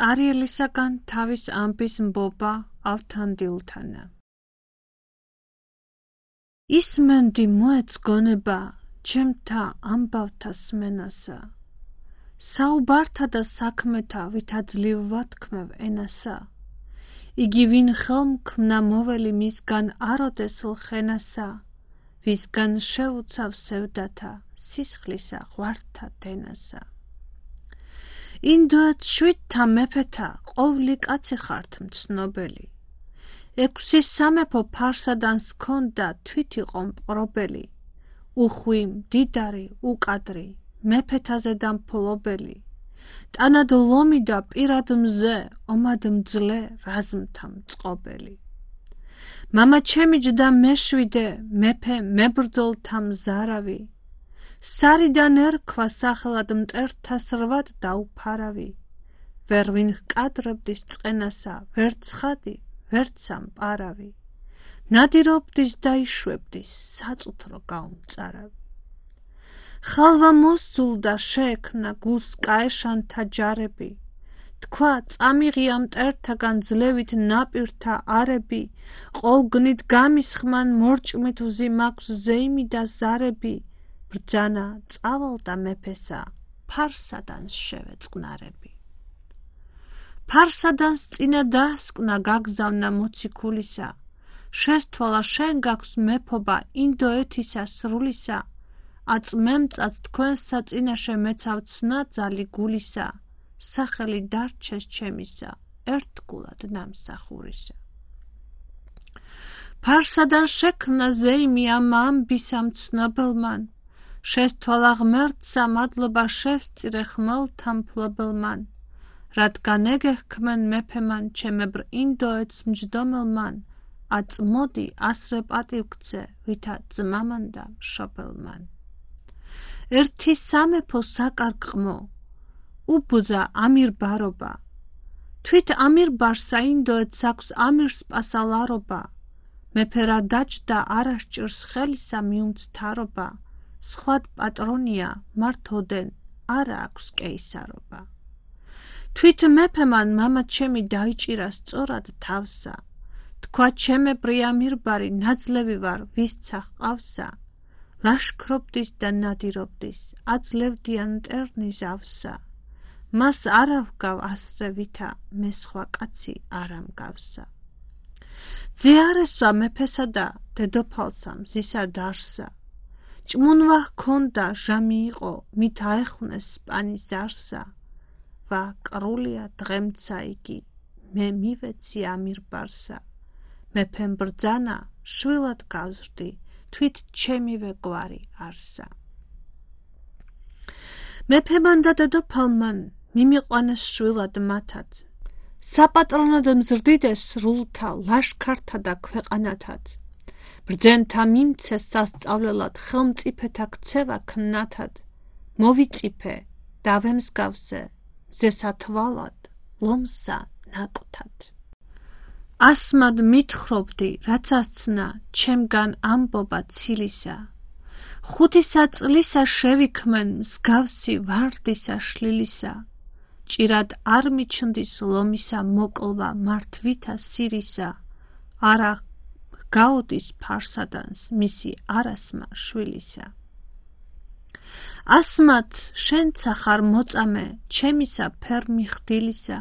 არიელისაგან თავის ამბის მბობა ავთანდილთანა. ისმენდი მოეწგონება ჩემთა ამბავთა სმენასა, საუბართა და საქმეთა ვითა ძლივ ვათქმევ ენასა, იგი ვინ ხელმქმნა მოველი მისგან აროდეს ლხენასა, ვისგან შეუცავ სევდათა სისხლისა ღვართა დენასა. ინდოეთს 7-თა მეფეთა ყოვლი კაცი ხართ მცნობელი, 6 სამეფო ფარსადანს ჰქონდა თვით იყო მპყრობელი, უხვი მდიდარი უკადრი მეფეთაზე და მფლობელი, ტანად ლომი და პირად მზე ომად მძლე რაზმთა მწყობელი. მამა ჩემი ჯდა მეშვიდე მეფე მებრძოლთა მზარავი, სარიდან ერქვა სახელად მტერთა სრვად დაუფარავი, ვერ ვინ ჰკადრებდის წყენასა, ვერ ცხადი, ვერ სამპარავი, ნადირობდის და იშვებდის საწუთრო გაუმწარავი. ხალვა მოსძულდა შეექნა გულს კაეშანთა ჯარები, თქვა წამიღია მტერთაგან ძლევით ნაპირთა არები, ყოლგნით გამისხმან მორჭმით ვზიმაქვს ზეიმი და ზარები, ბრძანა წავალდა მეფესა, ფარსადანს შევეწყნარები. ფარსადანს წინა დასკნა გაგზავნა მოციქულისა, შესთვალა შენ გაქვს მეფობა ინდოეთისა სრულისა, აწმემწად თქვენსა წინაშე მეცავ ცნა ძალი გულისა, სახელი დარჩეს ჩემისა, ერთგულად ნამსახურისა. ფარსადან შექმნა ზეიმი ამ ამბისა მცნობელმან, შესთვალა ღმერთსა მადლობა შევსწირე ხმელთა მფლობელმან, რადგან ეგეჰქმენ მეფემან ჩემებრ ინდოეთს მჯდომელმან, აწმოდი ასრე პატივქცე ვითა ძმამან და მშობელმან. ერთი სამეფო საკარგყმო უბუძა ამირბარობა, თვით ამირბარსა ინდოეთს აქვს ამირსპასალარობა, მეფე რა დაჯდა არასჭირს ხელისა მიუმცთარობა, სხვად პატრონია მართოდენ არა აქვს კეისარობა. თვით მეფემან მამა ჩემი დაიჭირა სწორად თავსა, თქვა ჩემებრი ამირბარი ნაძლევი ვარ ვისცა ჰყავსა, ლაშქრობდის და ნადირობდის აძლევდიან მტერნი ზავსა, მას არა ვგავ ასრე ვითა მე სხვა კაცი არ ამგავსა. ძე არ ესვა მეფესა და დედოფალსა მზისა დარსა, ჭმუნვა ჰქონდა ჟამი იყო მით აეხვნეს სპანის ზარსა, ვა კრულია დღემცა იგი მე მივეცი ამირბარსა, მეფემ ბრძანა შვილად გავზრდი თვით ჩემივე გვარი არსა. მეფემან და დედოფალმან მიმიყვანეს შვილად მათად, საპატრონოდ მზრდიდეს სრულთა ლაშქართა და ქვეყანათად, ბრძენთა მიმცეს სასწავლელად ხელმწიფეთა ქცევა ქნათად, მოვიწიფე დავემსგავსე ზესა თვალად ლომსა ნაკვთად. ასმად მითხრობდი რაც ასცნა ჩემგან ამბობა ცილისა, 5 წლისა შევიქმენ მსგავსი ვარდისა შლილისა, ჭირად არ მიჩნდის ლომისა მოკლვა მართვითა სირისა, არა გაუდის ფარსადანს მისი არასმა შვილისა. ასმად შენცა ხარ მოწამე ჩემისა ფერმი ხდილისა,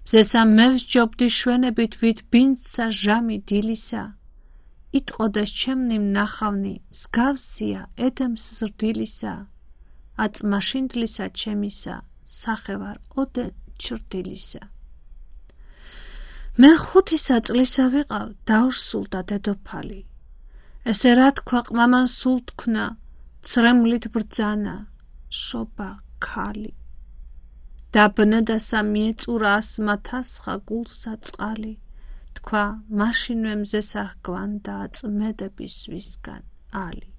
მზესა მევსჯობდი შვენებით ვით ბინძსა ჟამი დილისა, იტყოდეს ჩემნი მნახავნი მსგავსია ედემს ზრდილისა, აწმაშინდლისა ჩემისა სახე ვარ ოდენ ჩრდილისა. მე 5 წლისა ვიყავ დავრსულდა დედოფალი, ესე რა თქვა ყმამან სულ თქვნა, ცრემლით ბრძანა შობა ქალი, დაბნედასა მიეწურა ასმათასხა გულსა წყალი, თქვა მაშინვე მზესა ჰგვანდა აწმედების ვისგან ალი.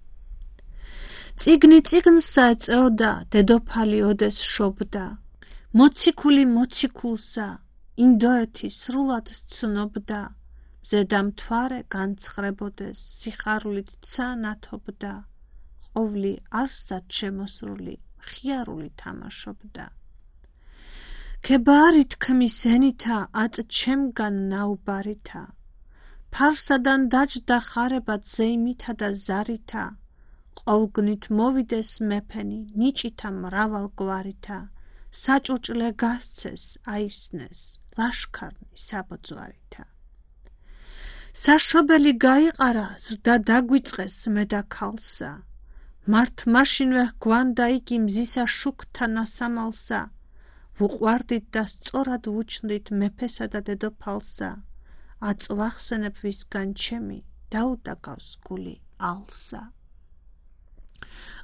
წიგნი წიგნსა ეწეოდა დედოფალი ოდეს შობდა, მოციქული მოციქულსა ინდოეთი სრულად სცნობდა, მზედა მთვარე განცხრებოდეს სიხარულით ცა ნათობდა, ყოვლი არსად შემოსრული მხიარული თამაშობდა. ქებარი თქმის ენითა აწ ჩემგან ნაუბარითა ფარსადან დაჯდა ხარებად ზეიმითა და ზარითა ყოვლგნით მოვიდეს მეფენი ნიჭითა მრავალგვარითა საჭურჭლე გასცეს აივსნეს ლაშქარნი საბოძვარითა საშობელი გაიყარა ზრდა დაგვიწყეს მედა ქალსა მართ მაშინვე გვანდა იგი მზისა შუქთა ნასამალსა ვუყვარდით და სწორად ვუჩნდით მეფესა და დედოფალსა აწ ვახსენებ ვისგან ჩემი დაუდაგავს გული ალსა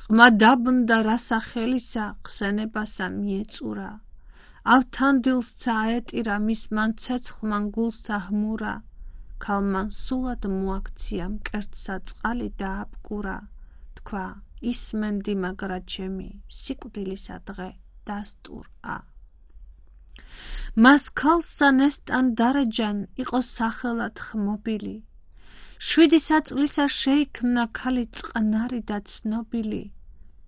ყმა დაბნდა რასახელისა ხსენებასა მიეწურა ავთანდილსა აეტირა მის მან ცეცხლმან გულსა ჰმურა ქალმან სულად მოაქცია მკერდსა წყალი დააბკურა თქვა ისმენდი მაგრა ჩემი სიკვდილისა დღე დასტურა მას ქალსა ნესტან დარეჯან იყო სახელად ხმობილი 7 საწლისა შეიქმნა ქალი წყნარი და ცნობილი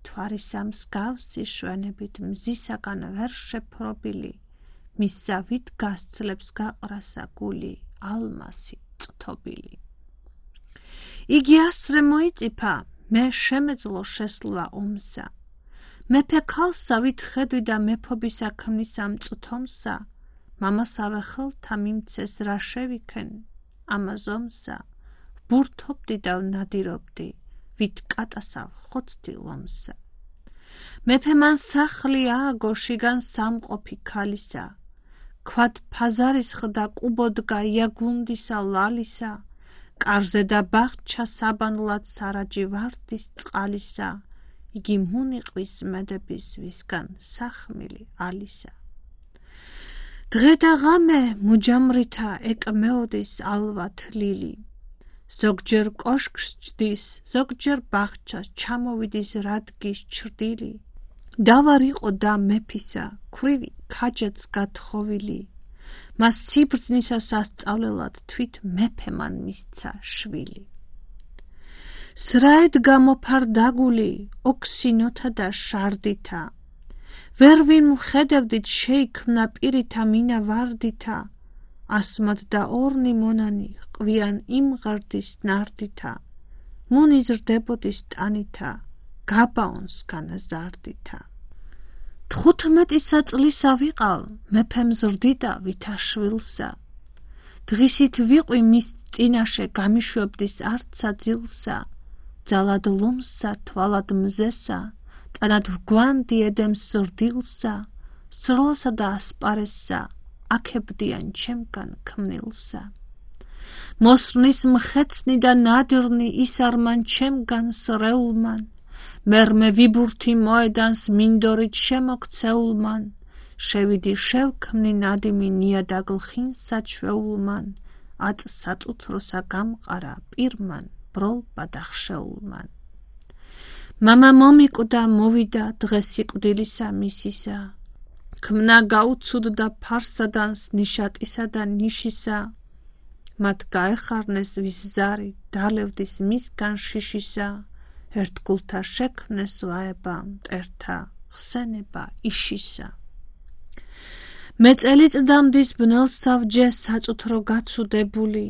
თვარისა მსგავსი შვენებით მზისაგან ვერ შეფრობილი მის ზავით გასძლებს გაყრასა გული ალმასი წთობილი იგი ასრე მოიწიფა მე შემეძლო შესლვა ომსა მეფე ქალსა ვით ხედვი და მეფობისა ქმნისა მწთომსა მამასავე ხელთა მიმცეს რა შევიქენ ამაზომსა ბურთობდი და ვნადირობდი ვით კატასა ხოცდი ლომსა მეფე მან სახლი ააგო შიგან სამყოფი ქალისა ქვად ფაზარისხდა კუბოდგა იაგუნდისა ლალისა კარზე და ბაღჩა საბანლად სარაჯი ვარდის წყალისა იგი მუნიყვის მედების ვისგან სახმილი ალისა დღე და ღამე მუჯამრითა ეკმეოდის ალვა თლილი ზოგჯერ კოშკს ჯდის ზოგჯერ ბაღჩას ჩამოვიდის რადგის ჩრდილი დავარიყო და მეფისა ქვრივი ქაჯაც გათხოვილი მას სიბრძნისა სასწავლელად თვით მეფე მან მისცა შვილი სრაედ გამოფარდაგული ოქსინოთა და შარდითა ვერ ვინ მხედევდით შეიქმნა პირითა მინა ვარდითა ასმად და ორნი მონანი ყვიან იმღარდის ნარდითა მონიზრდებოდის ტანითა გაბაონს განაზარდითა 15 საწლისა ვიყავ მეფემ ზრდიდა ვითა შვილსა დღისით ვიყვი მის წინაშე გამიშვებდის არცა ძილსა ძალად ლომსა თვალად მზესა ტანად ვგვანდი ედემს ზრდილსა სროლასა და ასპარესსა აქებდიან ჩემგან ქმნილსა მოსრნის მხეცნი და ნადირნი ისარმან ჩემგან სრეულმან მერმე ვიბურთი მოედანს მინდორით შემოქცეულმან შევიდი შევქმნი ნადიმი ნიადაგლხინსა ჩვეულმან აწ საწუთროსა გამყარა პირმან ბროლ ბადახშეულმან მამა მომიკვდა მოვიდა დღეს სიკვდილისა მისისა ქმნა გაუცუდდა ფარსადანს ნიშატისა და ნიშისა მათ გაეხარნეს ვის ზარი დალევდის მისგან შიშისა ერთგულთა შექმნეს ვაება მტერთა ხსენება იშისა მე წელიწდამდის ბნელს სავჯე საწუთრო გაცუდებული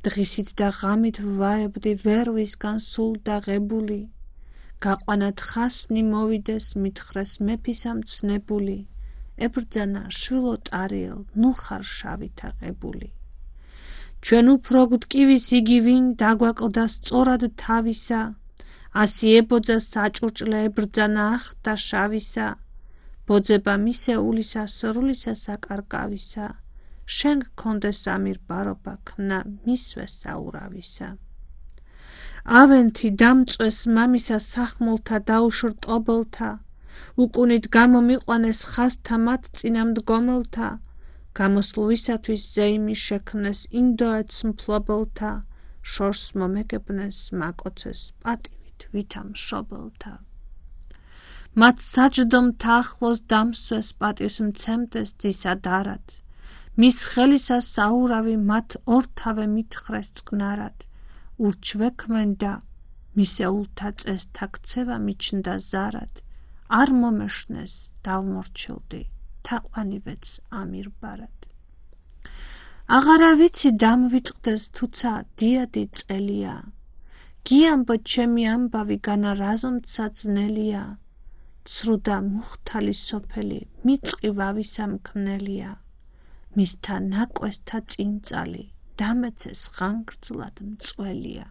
დღისით და ღამით ვაებდი ვერ ვისგან სულ დაღებული გაყვანად ხასნი მოვიდეს მითხრეს მეფისა მცნებული ებრძანა შვილო ტარიელ ნუ ხარ შავითა ყებული ჩვენ უფრო გვტკივის იგი ვინ დაგვაკლდა სწორად თავისა ასი ებოძა საჭურჭლე ებრძანა ახდა შავისა ბოძება მისეულისა სრულისა საკარკავისა შენ გქონდეს ამირბარობა ქმნა მისვე საურავისა ავენთი დამწვეს მამისა სახმულთა დაუშრტობელთა უკუნით გამომიყვანეს ხაზთა მათ წინა მდგომელთა გამოსვლისათვის ზეიმი შექმნეს ინდოეთს მფლობელთა შორს მომეგებნეს მაკოცეს პატივით ვითა მშობელთა მათ საჯდომთა ახლოს დამსვეს პატივს მცემდეს ძისა დარად მის ხელისა საურავი მათ ორთავე მითხრეს წყნარად ურჩვექმენდა მისეულთა წესთა ქცევა მიჩნდა ზარად არ მომეშნეს დავმორჩილდი თაყვანივეც ამირბარად. აღარა ვიცი დამვიწყდეს თუცა დიადი წელია, გიამბო ჩემი ამბავი განა რაზომცა ძნელია, ცრუდა მუხთალი სოფელი მიწყი ვავისა მქმნელია, მისთა ნაკვესთა წინწალი დამეცეს ხანგრძლად მწველია.